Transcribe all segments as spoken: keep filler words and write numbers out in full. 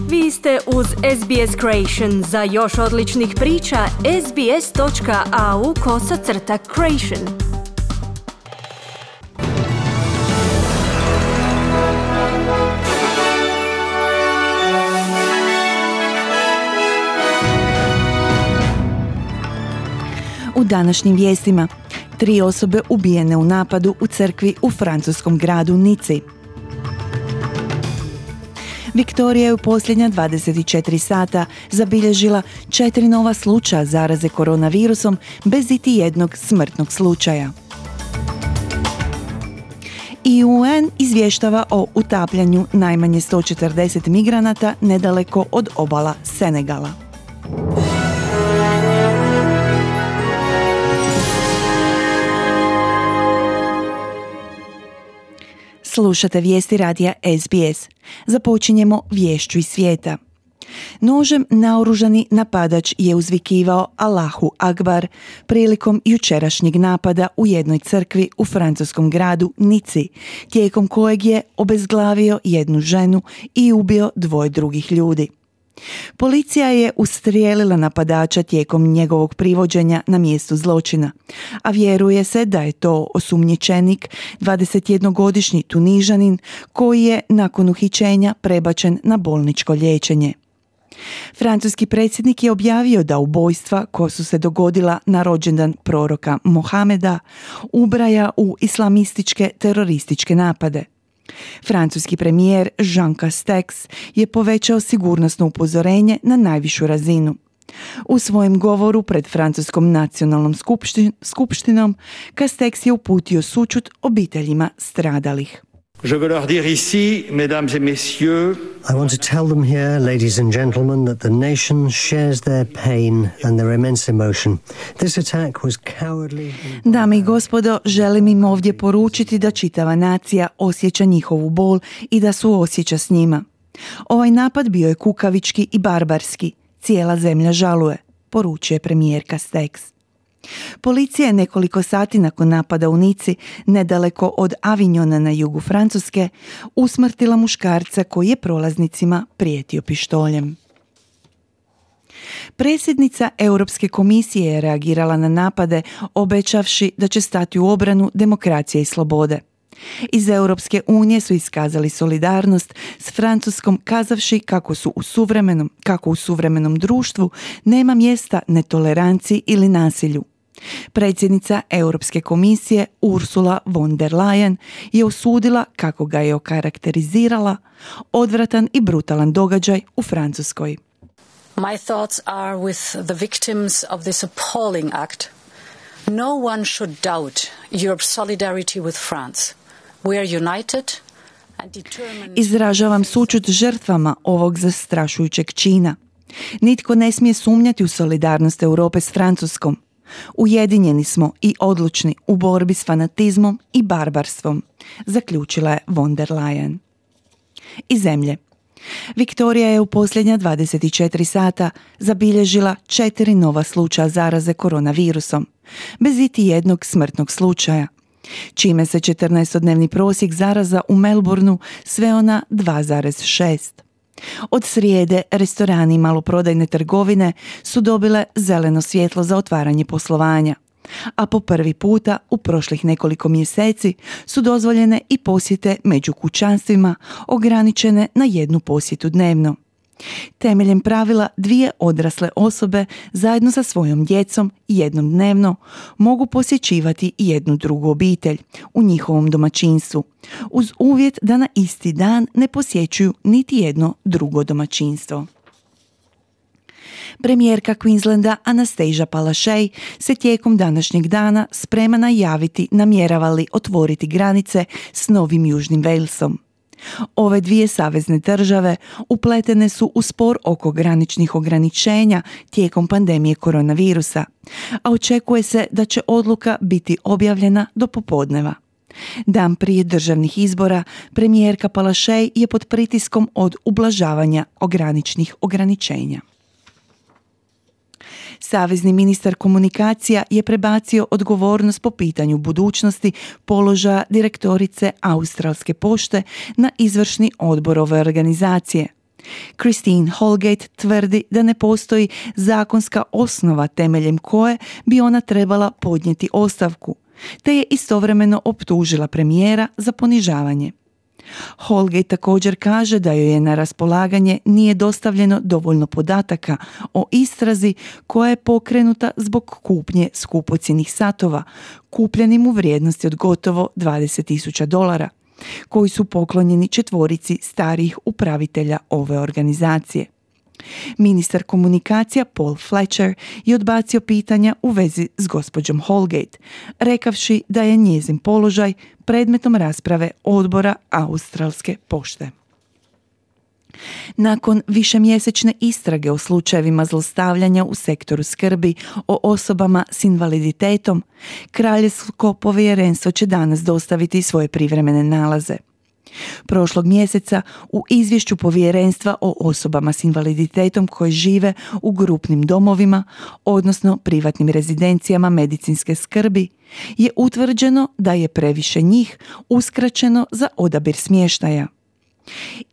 Vi ste uz S B S Creation. Za još odličnih priča, sbs.au kosacrta creation. U današnjim vijestima, tri osobe ubijene u napadu u crkvi u francuskom gradu Nici. Viktorija je u posljednja dvadeset četiri sata zabilježila četiri nova slučaja zaraze koronavirusom bez iti jednog smrtnog slučaja. I U N izvještava o utapljanju najmanje sto četrdeset migranata nedaleko od obala Senegala. Slušate vijesti radija S B S. Započinjemo viješću iz svijeta. Nožem naoružani napadač je uzvikivao Allahu Akbar prilikom jučerašnjeg napada u jednoj crkvi u francuskom gradu Nici, tijekom kojeg je obezglavio jednu ženu i ubio dvoje drugih ljudi. Policija je ustrijelila napadača tijekom njegovog privođenja na mjestu zločina, a vjeruje se da je to osumnjičenik, dvadesetjednogodišnji Tunižanin koji je nakon uhićenja prebačen na bolničko liječenje. Francuski predsjednik je objavio da ubojstva koja su se dogodila na rođendan proroka Mohameda ubraja u islamističke terorističke napade. Francuski premijer Jean Castex je povećao sigurnosno upozorenje na najvišu razinu. U svojem govoru pred Francuskom nacionalnom skupštin- skupštinom Castex je uputio sućut obiteljima stradalih. Je veux leur dire ici, mesdames et messieurs, I want to tell them here, ladies and gentlemen, that the nation shares their pain and their immense emotion. This attack was cowardly. Dame i gospodo, želim im ovdje poručiti da čitava nacija osjeća njihovu bol i da suosjeća s njima. Ovaj napad bio je kukavički i barbarski. Cijela zemlja žaluje, poručuje premijer Castex. Policija je nekoliko sati nakon napada u Nici, nedaleko od Avignona na jugu Francuske, usmrtila muškarca koji je prolaznicima prijetio pištoljem. Predsjednica Europske komisije je reagirala na napade, obećavši da će stati u obranu demokracije i slobode. Iz Europske unije su iskazali solidarnost s Francuskom, kazavši kako su u suvremenom, kako u suvremenom društvu nema mjesta netoleranciji ili nasilju. Predsjednica Europske komisije Ursula von der Leyen je osudila, kako ga je okarakterizirala, odvratan i brutalan događaj u Francuskoj. My thoughts are with the victims of this appalling act. No one should doubt Europe's solidarity with France. We are united and determined. Izražavam sućut žrtvama ovog zastrašujućeg čina. Nitko ne smije sumnjati u solidarnost Europe s Francuskom. Ujedinjeni smo i odlučni u borbi s fanatizmom i barbarstvom, zaključila je von der Leyen. Iz zemlje. Viktorija je u posljednja dvadeset četiri sata zabilježila četiri nova slučaja zaraze koronavirusom, bez iti jednog smrtnog slučaja, čime se četrnaestodnevni prosjek zaraza u Melbourneu sveo na dva zarez šest. Od srijede restorani i maloprodajne trgovine su dobile zeleno svjetlo za otvaranje poslovanja, a po prvi puta u prošlih nekoliko mjeseci su dozvoljene i posjete među kućanstvima ograničene na jednu posjetu dnevno. Temeljem pravila dvije odrasle osobe zajedno sa svojom djecom jednom dnevno mogu posjećivati jednu drugu obitelj u njihovom domaćinstvu, uz uvjet da na isti dan ne posjećuju niti jedno drugo domaćinstvo. Premijerka Queenslanda Anastasia Palaszczuk se tijekom današnjeg dana sprema najaviti namjerava li otvoriti granice s Novim Južnim Walesom. Ove dvije savezne države upletene su u spor oko graničnih ograničenja tijekom pandemije koronavirusa, a očekuje se da će odluka biti objavljena do popodneva. Dan prije državnih izbora premijerka Palaszczuk je pod pritiskom od ublažavanja graničnih ograničenja. Savezni ministar komunikacija je prebacio odgovornost po pitanju budućnosti položaja direktorice Australske pošte na izvršni odbor ove organizacije. Christine Holgate tvrdi da ne postoji zakonska osnova temeljem koje bi ona trebala podnijeti ostavku, te je istovremeno optužila premijera za ponižavanje. Holgate također kaže da joj je na raspolaganje nije dostavljeno dovoljno podataka o istrazi koja je pokrenuta zbog kupnje skupocjenih satova, kupljenim u vrijednosti od gotovo dvadeset tisuća dolara, koji su poklonjeni četvorici starijih upravitelja ove organizacije. Ministar komunikacija Paul Fletcher je odbacio pitanja u vezi s gospođom Holgate, rekavši da je njezin položaj predmetom rasprave odbora Australske pošte. Nakon višemjesečne istrage o slučajevima zlostavljanja u sektoru skrbi o osobama s invaliditetom, Kraljevsko povjerenstvo će danas dostaviti svoje privremene nalaze. Prošlog mjeseca u izvješću povjerenstva o osobama s invaliditetom koje žive u grupnim domovima, odnosno privatnim rezidencijama medicinske skrbi, je utvrđeno da je previše njih uskraćeno za odabir smještaja.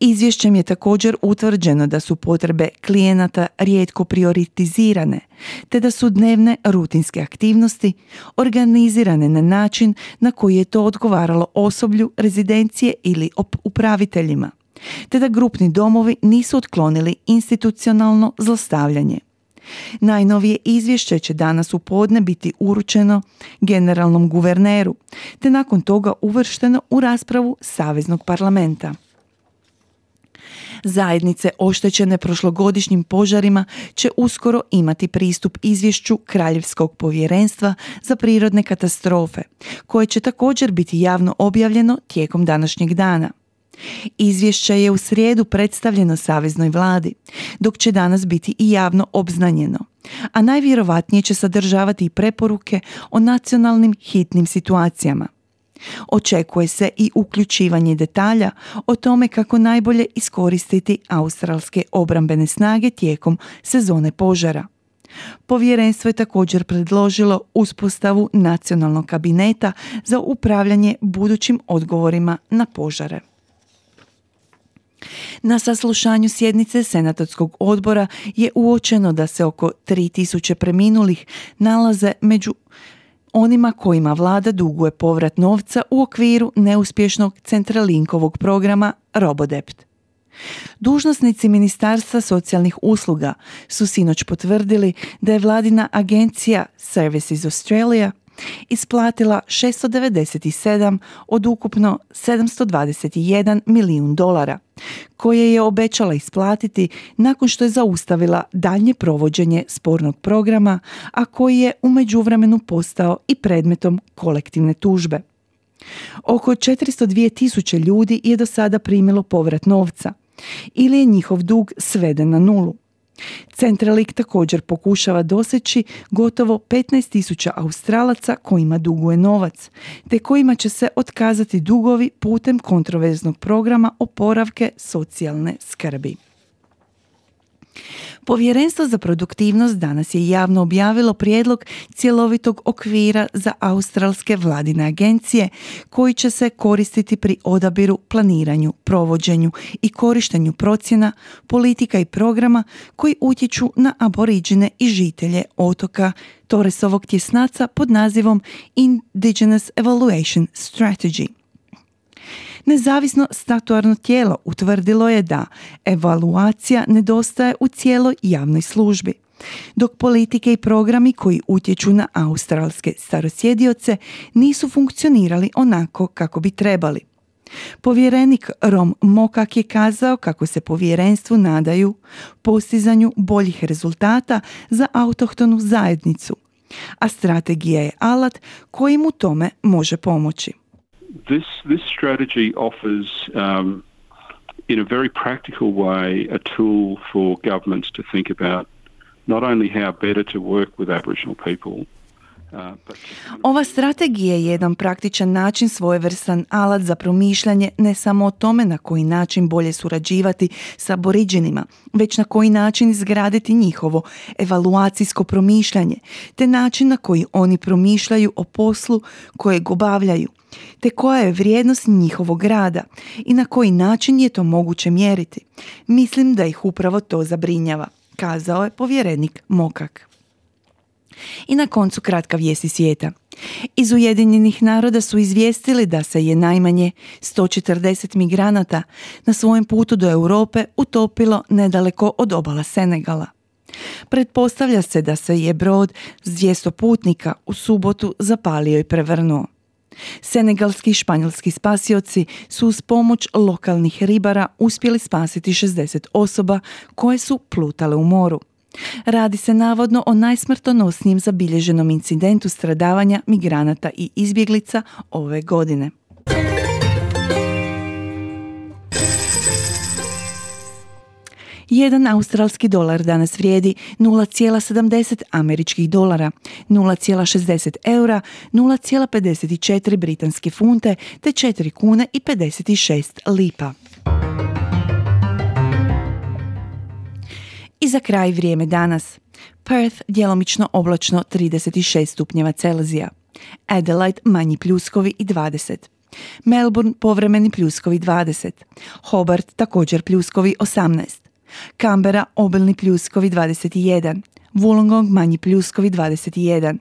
Izvješćem je također utvrđeno da su potrebe klijenata rijetko prioritizirane, te da su dnevne rutinske aktivnosti organizirane na način na koji je to odgovaralo osoblju rezidencije ili upraviteljima, te da grupni domovi nisu otklonili institucionalno zlostavljanje. Najnovije izvješće će danas u podne biti uručeno generalnom guverneru, te nakon toga uvršteno u raspravu Saveznog parlamenta. Zajednice oštećene prošlogodišnjim požarima će uskoro imati pristup izvješću Kraljevskog povjerenstva za prirodne katastrofe, koje će također biti javno objavljeno tijekom današnjeg dana. Izvješće je u srijedu predstavljeno Saveznoj vladi, dok će danas biti i javno obznanjeno, a najvjerovatnije će sadržavati i preporuke o nacionalnim hitnim situacijama. Očekuje se i uključivanje detalja o tome kako najbolje iskoristiti australske obrambene snage tijekom sezone požara. Povjerenstvo je također predložilo uspostavu nacionalnog kabineta za upravljanje budućim odgovorima na požare. Na saslušanju sjednice Senatorskog odbora je uočeno da se oko tri tisuće preminulih nalaze među onima kojima vlada duguje povrat novca u okviru neuspješnog Centralinkovog programa Robodebt. Dužnosnici Ministarstva socijalnih usluga su sinoć potvrdili da je vladina agencija Services Australia isplatila šesto devedeset sedam od ukupno sedamsto dvadeset jedan milijun dolara, koje je obećala isplatiti nakon što je zaustavila daljnje provođenje spornog programa, a koji je u međuvremenu postao i predmetom kolektivne tužbe. Oko četiristo dvije tisuće ljudi je do sada primilo povrat novca, ili je njihov dug sveden na nulu. Centrelink također pokušava doseći gotovo petnaest tisuća Australaca kojima duguje novac, te kojima će se otkazati dugovi putem kontroverznog programa oporavke socijalne skrbi. Povjerenstvo za produktivnost danas je javno objavilo prijedlog cjelovitog okvira za australske vladine agencije koji će se koristiti pri odabiru, planiranju, provođenju i korištenju procjena, politika i programa koji utječu na aboriđine i žitelje otoka Torresovog tjesnaca pod nazivom Indigenous Evaluation Strategy. Nezavisno statuarno tijelo utvrdilo je da evaluacija nedostaje u cijeloj javnoj službi, dok politike i programi koji utječu na australske starosjedioce nisu funkcionirali onako kako bi trebali. Povjerenik Rom Mokak je kazao kako se povjerenstvu nadaju postizanju boljih rezultata za autohtonu zajednicu, a strategija je alat koji mu tome može pomoći. This this strategy offers, um, in a very practical way, a tool for governments to think about not only how better to work with Aboriginal people, Ova strategija je jedan praktičan način, svojevrstan alat za promišljanje ne samo o tome na koji način bolje surađivati s aboriđinima, već na koji način izgraditi njihovo evaluacijsko promišljanje, te način na koji oni promišljaju o poslu kojeg obavljaju, te koja je vrijednost njihovog rada i na koji način je to moguće mjeriti. Mislim da ih upravo to zabrinjava, kazao je povjerenik Mokak. I na koncu kratka vijest iz svijeta. Iz Ujedinjenih naroda su izvijestili da se je najmanje sto četrdeset migranata na svojem putu do Europe utopilo nedaleko od obala Senegala. Pretpostavlja se da se je brod s dvjesto putnika u subotu zapalio i prevrnuo. Senegalski i španjolski spasioci su uz pomoć lokalnih ribara uspjeli spasiti šezdeset osoba koje su plutale u moru. Radi se navodno o najsmrtonosnijem zabilježenom incidentu stradavanja migranata i izbjeglica ove godine. Jedan australski dolar danas vrijedi nula zarez sedamdeset američkih dolara, nula zarez šezdeset eura, nula zarez pedeset četiri britanske funte te četiri kune i pedeset šest lipa. I za kraj vrijeme danas. Perth djelomično oblačno trideset šest stupnjeva Celzija. Adelaide manji pljuskovi i dvadeset. Melbourne povremeni pljuskovi dvadeset. Hobart također pljuskovi osamnaest. Canberra obilni pljuskovi dvadeset jedan. Wollongong manji pljuskovi dvadeset jedan.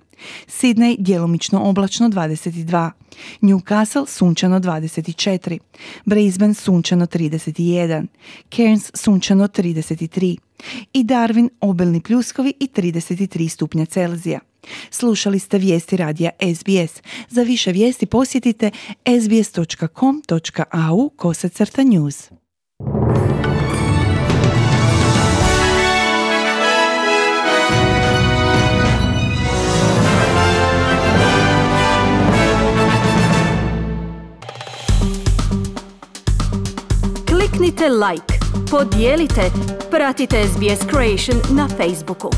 Sydney djelomično oblačno dvadeset dva. Newcastle sunčano dvadeset četiri. Brisbane sunčano trideset jedan. Cairns sunčano trideset tri. I Darwin obilni pljuskovi i trideset tri stupnja Celzija. Slušali ste vijesti radija S B S. Za više vijesti posjetite sbs točka com točka a u kosacrta news. Kliknite like, podijelite, pratite S B S Creation na Facebooku.